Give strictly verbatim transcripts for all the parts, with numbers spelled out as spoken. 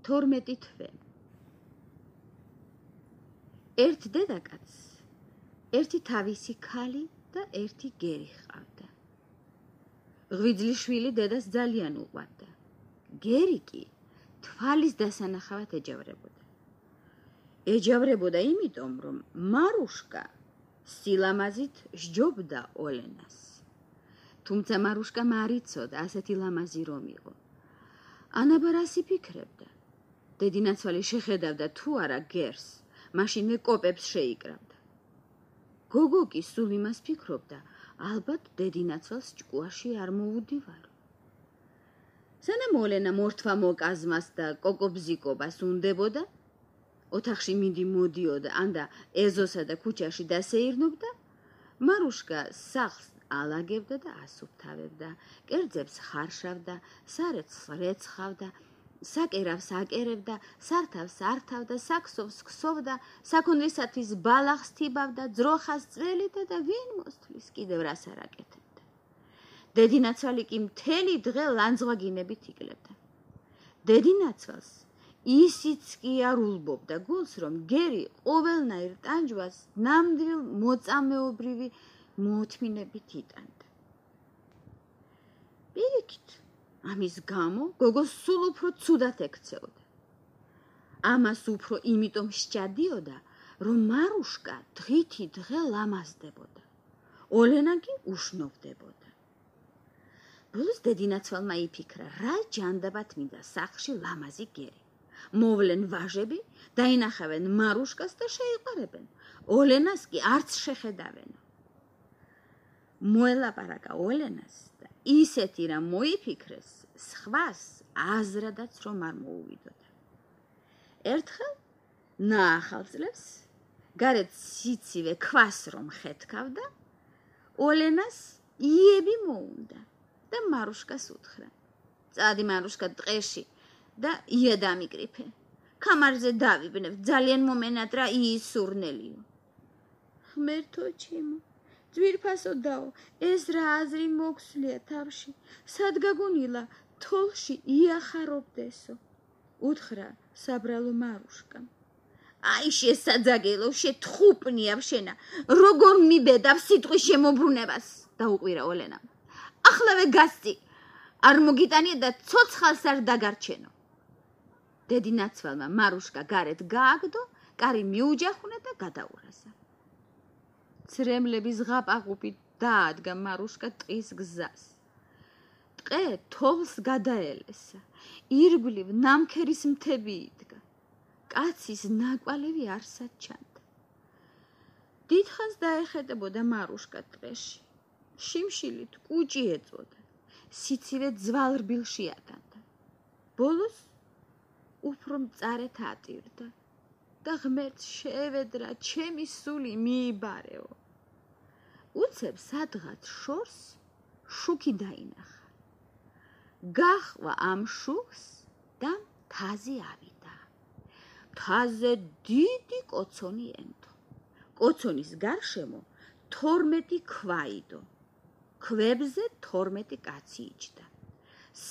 თორმეტი თვე. ერთ დედაკაცს ერთი თავისი ქალი და ერთი გერი ჰყავდა. ღვიძლიშვილი დედას ძალიან უყვარდა. გერი კი თვალის დასანახავად ეჯავრებოდა. ეჯავრებოდა იმიტომ, რომ მარუშკა სილამაზით სჯობდა ოლენას. თუმცა მარუშკა მარიცოდა ასეთი ლამაზი რომ იყო. ანაბარ რას იფიქრებდა? დედინაცვალი შეხედავდა თუ არა გერს, მაშინვე კოპებს შეიკრავდა. გოგო კი სულ იმას ფიქრობდა, ალბათ დედინაცვალს ჭკუაში არ მოუდივარო. სანამ ოლენა მორთვა მოკაზმას და კოკობზიკობას უნდებოდა, ოთახში მინდი მოდიოდა, ანდა ეზოსა და ქუჩაში დასეირნობდა, მარუშკა სახლს ალაგებდა და ასუფთავებდა, კერძებს ხარშავდა, სარეცხს რეცხავდა, საკერავს აკერებდა, სართავს ართავდა, საქსოვს ქსოვდა, საქონლისათვის ბალახს თიბავდა, ძროხას წველიდა და ვინ მოსთვლის კიდევ რას არ აკეთებდა. დედინაცვალი კი მთელი დღე ლანძღვაგინებით იკლებდა. დედინაცვალს ისიც კი არ ულბობდა გულს, რომ გერი ყოველნაირ ტანჯვას ნამდვილ მოწამეობრივი მოუთმინებით იტანდა. პირიქით, ამის გამო გოგო სულ უფრო ცუდად ექცეოდა. ამას უფრო იმიტომ სჭადიოდა, რომ მარუშკა დღითი დღე ლამაზდებოდა. ოლენა კი უშნობდებოდა. ბოლოს დედინაცვალმა იფიქრა, რა ჯანდაბად მინდა სახლში ლამაზი გერი. მოვლენ ვაჟები, დაინახავენ მარუშკას და შეიყარებენ. ოლენას კი არც შეხედავენო. მოელაპარაკა ოლენას და ისეთი რა მოიფიქრეს, სხვას აზრადაც რომ არ მოუვიდოდა. ერთხელ ნაახალწლებს, გარეთ სიცივე ქვას რომ ხეთქავდა, ოლენას იები მოუნდა და მარუშკას უთხრა. წადი მარუშკა ტყეში და ია დამიკრიფე. ქამარზე დავიბნევ, ძალიან მომენატრა იის სურნელიო. ღმერთო ჩემო, ძვირფასო დაო, ეს რა აზრი მოგვსვლია თავში, სად გაგონილა თოლში იახარობდესო, უთხრა საბრალო მარუშკამ. აი შესაძაგელო, შეთხუპნია შენა, როგორ მიბედავ სიტყვის შემოbrunებას, დაუყვირა ოლენამ. ახლავე გასწი, არ მოგიტანია და ცოცხალს არ დაგარჩენო. დედინაცვალმა მარუშკა გარეთ გააგდო, კარი მიუჯახუნა და გადაურაზა. ცრემლების ღაპაღუპით დაადგა მარუშკა ტყის გზას. ტყე თოვლს გადაელესა, ირგვლივ ნამქერის მთები იდგა. კაცის ნაკვალევი არსად ჩანდა. დიდხანს დაეხედებოდა მარუშკა ტყეში. შიმშილით კუჭი ეწოდა, სიცივე ძვალრბილში ატანდა. ბოლოს უფრო მწარეთ ატირდა და ღმერთს შეევედრა, ჩემი სული მიიბარეო. უცებ სადღაც შორს შუქი დაინახა. გაჰყვა ამ შუქს და მთაზე ავიდა. მთაზე დიდი კოცონი ენდო. კოცონის გარშემო თორმეტი ქვა იდო. ქვებზე თორმეტი კაცი იჯდა.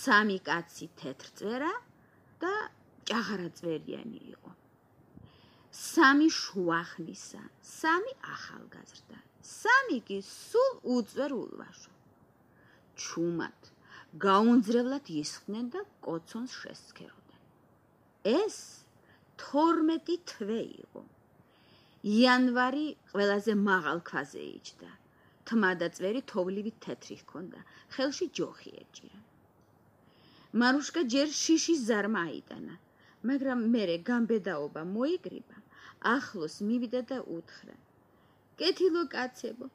სამი კაცი თეთრწვერა და ჭაღარაწვერიანი იყო. სამი შუახნისა, სამი ახალგაზრდა, სამი კი სულ უწვერ ულვაშო. ჩუმად, გაუნძრევლად ისხდნენ და კოცონს შესცქეროდნენ. ეს თორმეტი თვე იყო. იანვარი ყველაზე მაღალ ქვაზე იჯდა. თმა და წვერი თოვლივი თეთრი ჰქონდა, ხელში ჯოხი ეჭირა. მარუშკა ჯერ შიშის ზარმა აიტანა, მაგრამ მერე გამბედაობა მოიგრიბა, ახლოს მივიდა და უთხრა. კეთილო კაცებო,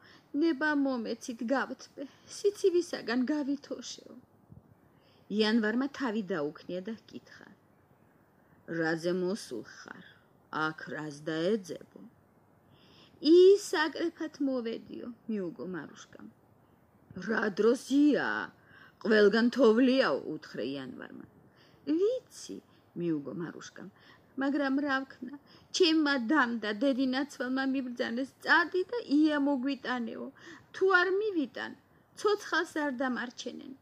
ნება მომეცით გავთბე, სიცივისაგან გავითოშეო. იანვარმა თავი დაუქნია და ჰკითხა. რაზე მოსულ ხარ? აქ რას დაეძებო? ის აკრეფად მოვედიო, მიუგო მარუშკამ. რა დროსია? ყველგან თოვლიაო, უთხრა იანვარმა. ვიცი, მიუგო მარუშკამ, მაგრამ რა ვქნა, ჩემმა დამ და დედინაცვალმა მიბრძანეს, წადი და ია მოგვიტანეო, თუ არ მივიტან, ცოცხალს არ დამარჩენენ.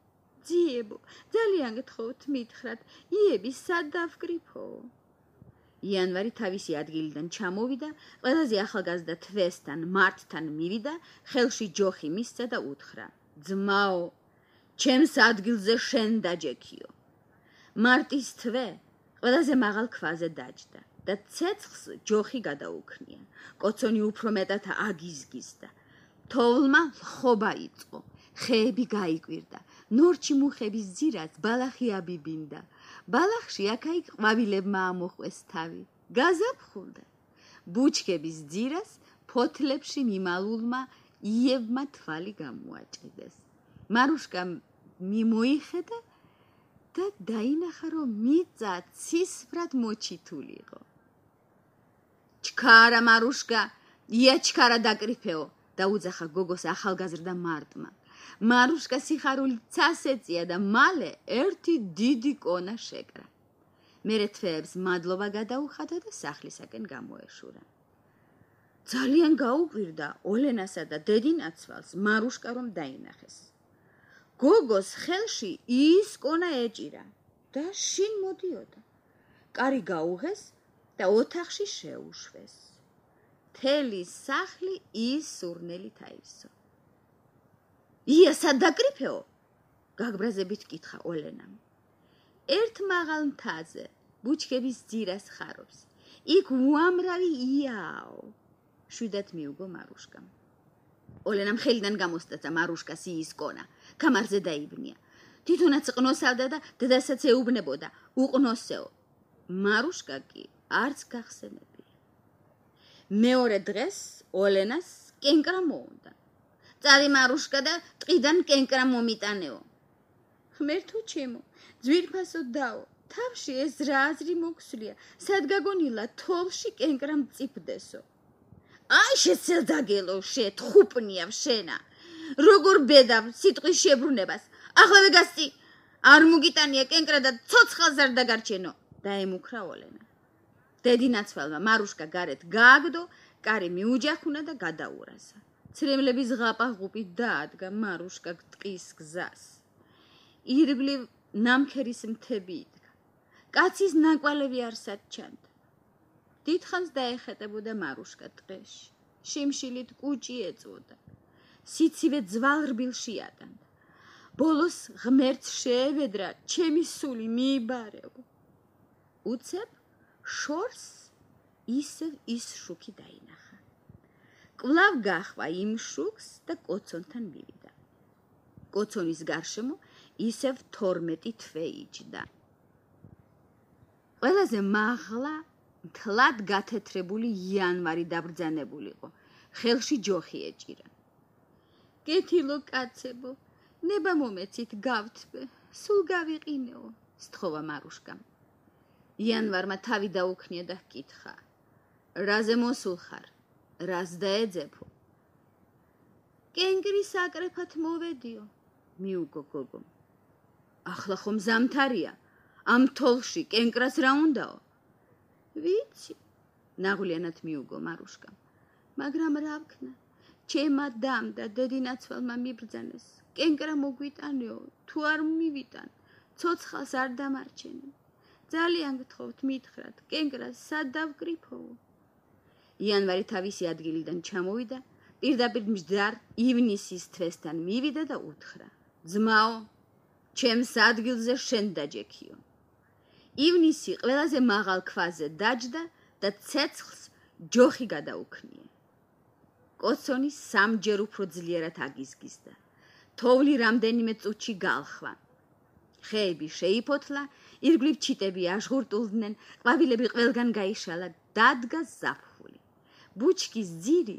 ძიებო, ძალიან გთხოვთ მითხრათ, იები სად დავკრიფო? იანვარი თავისი ადგილიდან ჩამოვიდა, ყველაზე ახალგაზრდა თვესთან, მარტთან მივიდა, ხელში ჯოხი მისცა და უთხრა: ძმაო, ჩემს ადგილზე შენ დაჯექიო. მარტის თვე ყველაზე მაღალ ქვაზე დაჯდა და ცეცხლს ჯოხი გადაუქნია. კოცონი უფრო მეტად აგიზგიზდა. თოვლმა ლხობა იწყო, ხეები გაიკვირდა, ნორჩი მუხების ძირას ბალახი აბიბინდა. ბალახში აქა-იქ ყვავილებმა ამოყვეს თავი, გაზაფხულდა. ბუჩქების ძირას ფოთლებში მიმალულმა იევმა თვალი გამოაჭედეს. მარუშკა მიმოიხედა და დაინახა, რომ მიწა ცისფრად მოჩითული იყო. ჩქარა მარუშკა, ია ჩქარა დაკრიფეო, დაუძახა გოგოს ახალგაზრდა მარტმა. მარუშკა სიხარულით ცას ეწია და მალე ერთი დიდი კონა შეკრა. მერე თვეებს მადლობა გადაუხადა და სახლისაკენ გამოეშურა. ძალიან გაუკვირდა ოლენასა და დედინაცვალს მარუშკა რომ დაინახეს. გოგოს ხელში ის კონა ეჭირა და შინ მოდიოდა. კარი გაუღეს და ოთახში შეუშვეს. მთელი სახლი ის სურნელით აივსო. ია სად დაკრიფეო? გაგბრაზებით კითხა ოლენამ. ერთ მაღალ მთაზე, ბუჩქების ძირას ხარობს. იქ უამრავი იაო. შვიდად მიუგო მარუშკამ. ოლენამ ხელიდან გამოსტაცა მარუშკას იის კონა, კამარზე დაიბნია. თვითონაც ყნოსავდა და დედასაც ეუბნებოდა, უყნოსეო. მარუშკა კი არც გახსენებია. მეორე დღეს ოლენას კენკრა მოუნდა. წავი მარუშკა და ტყიდან კენკრა მომიტანეო. ღმერთო ჩემო, ძვირფასო დაო, თავში ეს რა აზრი მოგვსვლია, სად გაგონილა თოვლში კენკრა მწიფდესო. აი შეცელდაგელო, შე თხუპნიავ შენა. როგორ ბედავ სიტყვის შებრუნებას. ახლავე გასწი, არ მოგიტანია კენკრა და ცოცხალს არ დაგარჩენო. დაემუქრა ოლენა. დედინაცვალმა მარუშკა გარეთ გააგდო, კარი მიუჯახუნა და გადაურაზა. ცრემლების ღაპაღუპი დაადგა მარუშკა ტყის გზას. ირგვლივ ნამქერის მთები იდგა. კაცის ნაკვალევი არსად ჩანდა. დიდხანს დაეხეტებოდა მარუშკა ტყეში. შიმშილით კუჭი ეწვოდა. სიცივე ძვალ-რბილში ატანდა. ბოლოს ღმერთს შეევედრა, ჩემი სული მიიბარეო. უცებ შორს ისევ ის შუქი დაინახა. კვლავ გაჰვა იმ შუქს და კოცონთან მივიდა. კოცონის გარშემო ისევ თორმეტი თვე იჯდა. ყველაზე მაღლა მთლად გათეთრებული იანვარი დაბრძანებულიყო, ხელში ჯოხი ეჭირა. კეთილო კაცებო, ნება მომეცით გავთბე, სულ გავიყინეო, სთხოვა მარუშკამ. იანვარმა თავი დაუქნია და ჰკითხა: რაზე მოსულ ხარ? რას დაეძებო? კენკრის აკრეფად მოვედიო, მიუგო გოგომ. ახლა ხომ ზამთარია, ამ თოვლში კენკრას რა უნდაო? ვიცი, ნაღვლიანად მიუგო მარუშკამ. მაგრამ რა ვქნა? ჩემა დამ და დედინაცვალმა მიბრძანეს. კენკრა მოგვიტანეო, თუ არ მივიტან, ცოცხალს არ დამარჩენე. ძალიან გთხოვთ მითხრათ, კენკრას სად დავკრიფოო? იანვარი თავისი ადგილიდან ჩამოვიდა, პირდაპირ მჯდარ ივნისის თვესთან მივიდა და უთხრა: ძმაო, ჩემს ადგილზე შენ დაჯექიო. ივნისი ყველაზე მაღალ ქვაზე დაჯდა და ცეცხლს ჯოხი გადაუქნია. კოცონი სამჯერ უფრო ძლიერად აგიზგიზდა. თოვლი რამდენიმე წუთში გალხვა. ხეები შეიფოთლა, ირგვლივ ჩიტები აჟღურტულდნენ, ყვავილები ყველგან გაიშალა, დადგა ზაფხული. ბუჩქის ძირი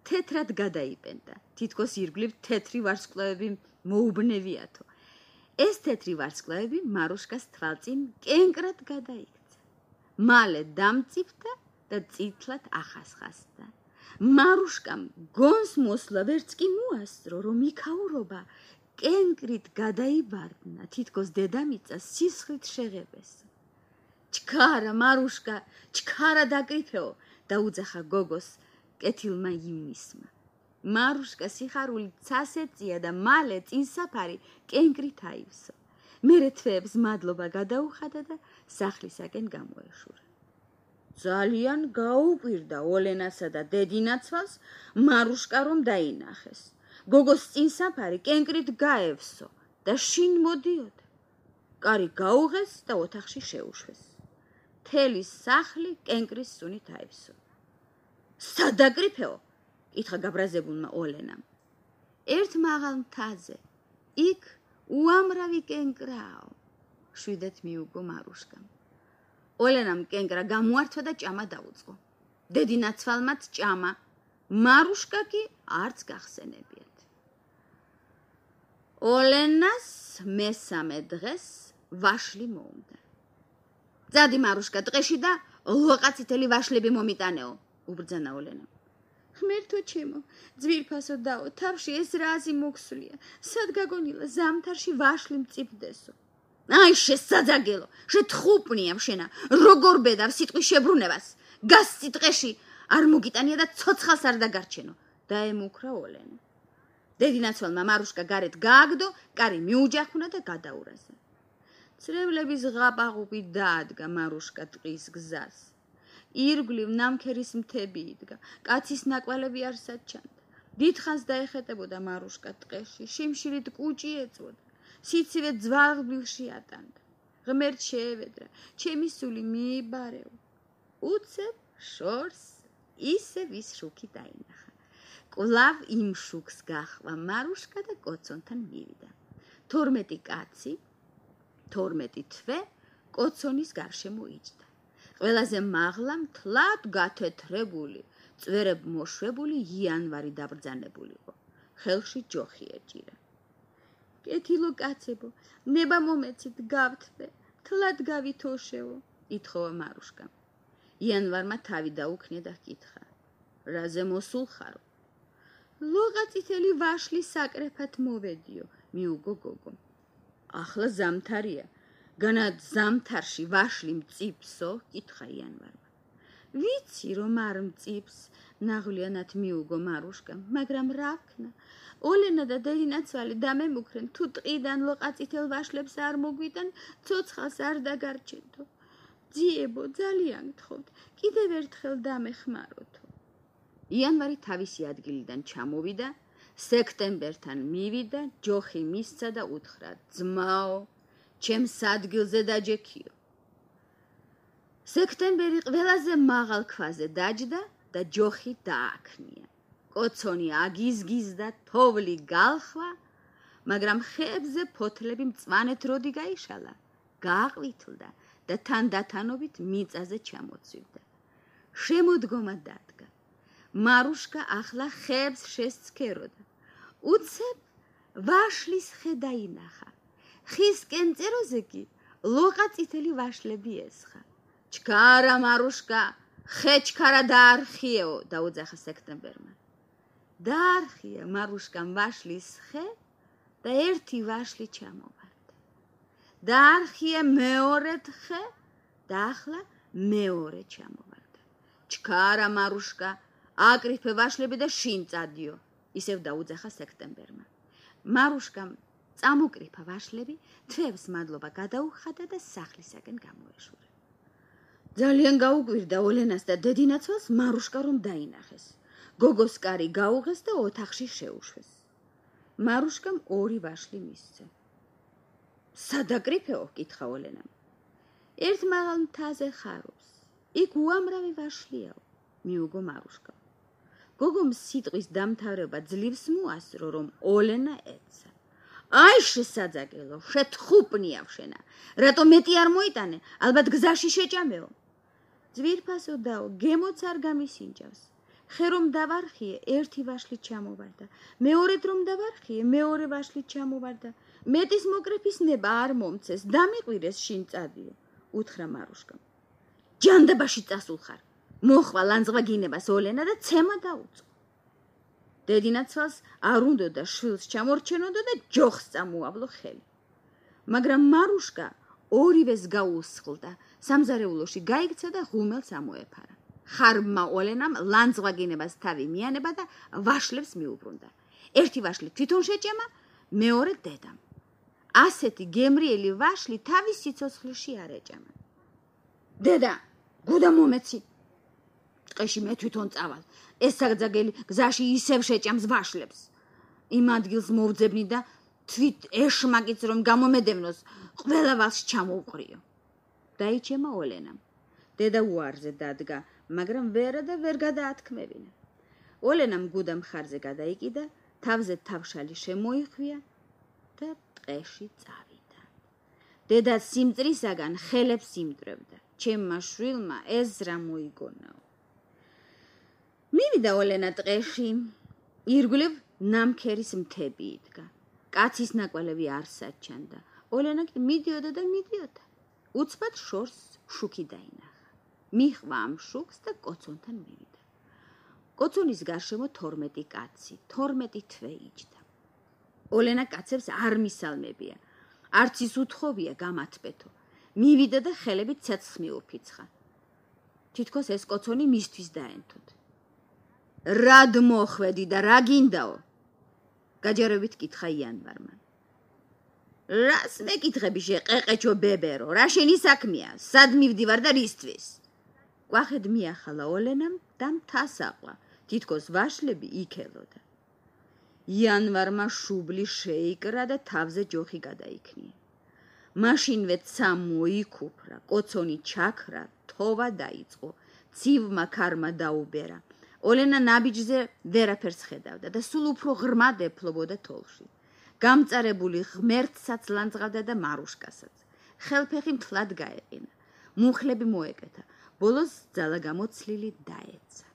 თეთრად გადაიპენდა, თითქოს ირგვლივ თეთრი ვარსკვლავები მოუბნევიათო. ეს თეთრი ვარსკვლავები მარუშკას თვალწინ კენკრად გადაიქცა. მალე დამწიფდა და წითლად ახასხასდა. მარუშკამ გონს მოსვლა ვერც კი მოასწრო, რომ იქაურობა კენკრით გადაიბარდნა, თითქოს დედამიწა სისხლით შეღებეს. ჩქარა მარუშკა, ჩქარა დაკრიფეო, დაუძახა გოგოს კეთილმა ივნისმა. მარუშკა სიხარული ცასეწია და მალე წინსაფარი კენკრით აივსო. მერე თვეებს მადლობა გადაუხადა და სახლისაკენ გამოეშურა. ძალიან გაუკვირდა ოლენასა და დედინაცვალს მარუშკა რომ დაინახეს. გოგოს წინსაფარი კენკრით გაევსო და შინ მოდიოდა. კარი გაუღეს და ოთახში შეუშვეს. მთელი სახლი კენკრის სუნით აივსო. სადაკრიფეო? ითხრა გაბრაზებულმა ოლენამ. ერთ მაღალ მთაზე, იქ უამრავი კენკრაო, შვიდეთ მიუგო მარუშკამ. ოლენამ კენკრა გამოართვა და ჭამა დაუწყო. დედინაცვალმაც ჭამა, მარუშკა კი არც გახსენებიათ. ოლენას მესამე დღეს ვაშლი მოუნდა. ძადი მარუშკა დღეში და ლოყაწითელი ვაშლები მომიტანეო, უბრძანა ოლენამ. ღმერთო ჩემო, ძვირფასო დაო, თავში ეს რა აზი მოქსვლია, სად გაგონილა ზამთარში ვაშლი მწიფდესო. აი შესაძაგელო, შეთხუპნია შენა, როგორ ბედავ სიტყვის შებრუნებას, გასცი დღეში არ მოგიტანია და ცოცხალს არ დაგარჩენო, დაემუქრა ოლენა. დედინაცვალმა მარუშკა გარეთ გააგდო, კარი მიუჯახუნა და გადაურაზა. წრებლების ღაპაღუპი დაადგა მარუშკა ტყის გზას. ირგვლივ ნამქერის მთები იდგა, კაცის ნაკვალები არ საჩანდა. დიდხანს დაეხეტებოდა მარუშკა ტყეში, შიმშილით კუჭი ეწვოდა, სიცივე ძვალბილში ატანდა. ღმერთ შეევედრა, ჩემი სული მიიბარეო. უცებ შორს ისე ვის შუქი დაინახა. კვლავ იმ შუქს გახვა მარუშკა და კოცონთან მივიდა. თორმეტი კაცი, თორმეტი თვე კოცონის გარშემო იჯდა. ყველაზე მაღლა მთლად გათეთრებული, წვერებ მოშვებული იანვარი დაბრძანებულიყო. ხელში ჯოხი ეჭირა. კეთილო კაცებო, ნება მომეცით გავთვე, თლად გავითოშეო, ითხოვა მარუშკამ. იანვარმა თავი დაუქნია და ჰკითხა. რაზე მოსულ ხარო? ლოყაწითელი ვაშლი საკრეფად მოვედიო, მიუგო გოგო. ახლა ზამთარია, განა ზამთარში ვაშლი მწიფსო, კითხა იანვარმა. ვიცი რომ არ მწიფს, ნაღვლიანად მიუგო მარუშკამ, მაგრამ რა ვქნა? ოლენა და დედინაცვალი დამემუქრენ, თუ ტყიდან ლოყაწითელ ვაშლებს არ მოგვიტან, ცოცხალს არ დაგარჩენთო. ძიებო, ძალიან გთხოვთ, კიდევ ერთხელ დამეხმაროთო. იანვარი თავისი ადგილიდან ჩამოვიდა, სექტემბერთან მივიდა, ჯოხი მისცა და უთხრა, ძმაო, ჩემს ადგილზე დაჯექიო. სექტემბერი ყველაზე მაღალ ქვაზე დაჯდა და ჯოხი დააქნია. კოცონი აგიზგიზდა, თოვლი გალხვა, მაგრამ ხეებზე ფოთლები მწვანეთ როდი გაიშალა, გააყვითლდა და თანდათანობით მიწაზე ჩამოცვივდა. შემოდგომა დადგა. მარუშკა ახლა ხეებს შესცქეროდა. უცებ ვაშლის ხე დაინახა. ხის კენწეროზე კი ლოყაწითელი ვაშლები ესხა. ჩქარა მარუშკა, ხე ჩქარა დაარხიეო, დაუძახა სექტემბერმა. დაარხია მარუშკამ ვაშლის ხე და ერთი ვაშლი ჩამოვარდა. დაარხია მეორედ ხე და ახლა მეორე ჩამოვარდა. ჩქარა მარუშკა, აკრიფე ვაშლები და შინ წადიო, ისევ დაუძახა სექტემბერმა. მარუშკამ წამოკრიფა ვაშლები, თვეებს მადლობა გადაუხადა და სახლისაკენ გამოეშურა. ძალიან გაუკვირდა ოლენას და დედინაცვალს მარუშკა რომ დაინახეს. გოგოს კარი გაუღეს და ოთახში შეუშვეს. მარუშკამ ორი ვაშლი მისცა. სადაკრიფეო? კითხა ოლენამ. ერთ მაღალ მთაზე ხარობს. იქ უამრავი ვაშლიაო, მიუგო მარუშკა. გოგომ სიტყვის დამთავრება ძლივს მოასწრო, რომ ოლენა ეცა. აი შესაძაგელო, შეთხუპნია შენა. რატო მეტი არ მოიტანე? ალბათ გზაში შეჭამეო. ძვირფასო დაო, გემოც არ გამისინჯავს. ხე რომ დავარხიე, ერთი ვაშლი ჩამოვარდა. მეორედ რომ დავარხიე, მეორე ვაშლი ჩამოვარდა. მეტის მოკრეფის ნება არ მომცეს, დამიყვირეს შინ წადიო, უთხრა მარუშკამ. ჯანდაბაში წასულ ხარ. მოხვა ლანძღვაგინებას ოლენა და ცემა დაუწყო. დედინაცვალს არ უნდოდა შვილს ჩამორჩენოდო და ჯოხს წამოავლო ხელი. მაგრამ მარუშკა ორივეს გაუსხლდა, სამზარეულოში გაიქცა და ღუმელს ამოეფარა. ხარბმა ოლენამ ლანძღვაგინებას თავი მიანება და ვაშლებს მიუბრუნდა. ერთი ვაშლი თვითონ შეჭემა, მეორე დედამ. ასეთი გემრიელი ვაშლი თავის სიცოცხლეში არ ეჭემა. დედა, გუდა მომეცი. ტყეში მე თვითონ წავალ. ეს საგზაგელი გზაში ისევ შეჭამს ვაშლებს. იმ ადგილს მოვძებნი და თვით ეშმაკიც რომ გამომედევნოს, ყველა ვაშლს ჩამოუყრიო. დაიჩემა ოლენამ. დედა უარზე დადგა, მაგრამ ვერა და ვერ გადაათქმევინა. ოლენამ გუდა მხარზე გადაიკიდა, თავზე თავშალი შემოიხვია და ტყეში წავიდა. დედა სიმწრისაგან ხელებს იმდრევდა. ჩემმა შვილმა ეს რა მოიგონაო. მივიდა ოლენა ტყეში, ირგვლივ ნამქერის მთები იდგა. კაცის ნაკვალევი არ საჩანდა. ოლენა კი მიდიოდა და მიდიოდა. უცბად შორს შუქი დაინახა. მიჰყვა ამ შუქს და კოცონთან მივიდა. კოცონის გარშემო თორმეტი კაცი, თორმეტი თვე იჯდა. ოლენა კაცებს არ მისალმებია, არც ის უთხოვია გამათბეთო. მივიდა და ხელებით ცეცხლს მიუფიცხა. თითქოს ეს კოცონი მისთვის დაენთოთ. რად მოხვედი და რა გინდაო? გაჯერებით კითხა იანვარმა. რას მეკითხები შეყეყეჩო ბებერო, რა შენი საქმეა? სად მივდივარ და რისთვის? კვახედ მიახალა ოლენამ და მთას აყვა, თითქოს ვაშლები იქელოდა. იანვარმა შუბლი შეიკრა და თავზე ჯოხი გადაიქნია. მაშინვე ცა მოიქუფრა, კოცონი ჩაქრა, თოვა დაიწყო, ცივმა ქარმა დაუბერა. ოლენა ნაბიჯზე ვერაფერს ხედავდა და სულ უფრო ღრმად ეფლობოდა თოლში. გამწარებული ღმერთსაც ლანძღავდა და მარუშკასაც. ხელფეხი მთლად გაეყინა. მუხლები მოეკეთა. ბოლოს ძალა გამოცლილი დაეცა.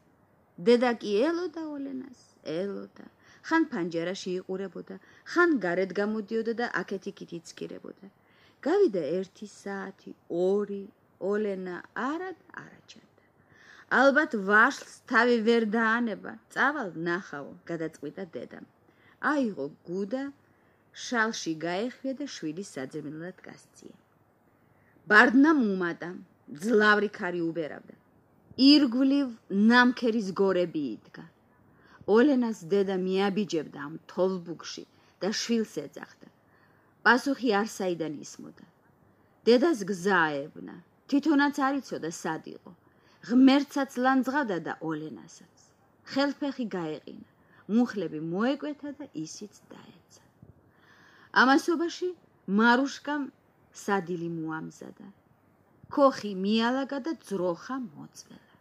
დედა კი ელოდა ოლენას, ელოდა. ხან ფანჯერაში იყურებოდა, ხან გარეთ გამოდიოდა და აქეთ-იქით იცკირებოდა. გავიდა ერთი საათი, ორი, ოლენა არა და არაჩანდა. ალბათ ვაშლს თავი ვერ დაანება, წავალ ნახავო, გადაწყვიტა დედამ. აიღო გუდა, შალში გაეხვია და შვილის საძებნელად გასწია. ბარდნა მუმატა, ძლავრი ქარი უბერავდა. ირგვლივ ნამქერის გორები იდგა. ოლენას დედა მიაბიჯებდა ამ თოვლბუგში და შვილს ეძახდა. პასუხი არ საიდან ისმოდა. დედას გზა ეუბნა, თვითონაც არ იცოდა სად იყო. ღმერთსაც ლანძღავდა და ოლენასაც. ხელფეხი გაეყინა, მუხლები მოეკვეთა და ისიც დაეცა. ამასობაში მარუშკამ სადილი მოამზადა. ქოხი მიალაგა და ძროხა მოწველა.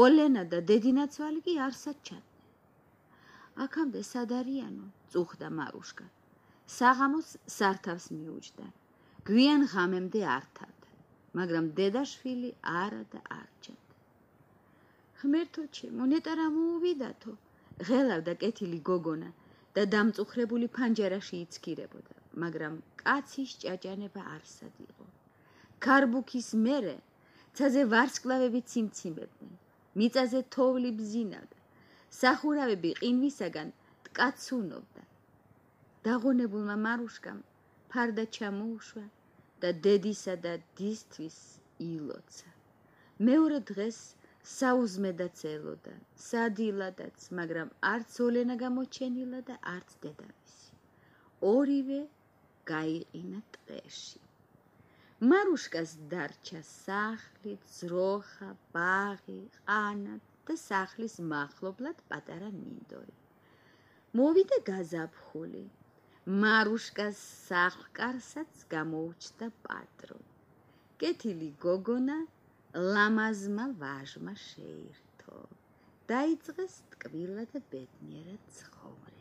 ოლენა და დედინაცვალი კი არ საჩადნენ. აქამდე სად არიანო? წუხდა მარუშკა. საღამოს სართავს მიუჯდა. გვიან ღამემდე ართავდა, მაგრამ დედაშვილი არა და არ ჩანდა. ღმერთო ჩემო, ნეტა რა მოუვიდათო, ღელავდა კეთილი გოგონა და დამწუხრებული ფანჯერაში იცქირებოდა, მაგრამ კაცის ჭაჭანება არსად იყო. ქარბუქის მერე ცაზე ვარსკვლავები ციმციმებდნენ, მიწაზე თოვლი ბზინავდა, სახურავები ყინვისაგან ტკაცუნობდა. დაღონებულმა მარუშკამ ფარდა ჩამოუშვა და დედისა და დისთვის ილოცა. მეორე დღეს საუზმედაც ელოდა, სადილადაც, მაგრამ არც ოლენა გამოჩენილა და არც დედამისი. ორივე გაიყინა ტყეში. მარუშკას დარჩა სახლი, ძროხა, ბაღი, ყანა და სახლის მახლობლად პატარა მინდორი. მოვიდა გაზაფხული. მარუშკას სახლკარსაც გამოუჩნდა პატრო. კეთილი გოგონა ლამაზმა ვაჟმა შეირთო. დაიწყეს ტკბილა და ბედნიერად ცხოვრება.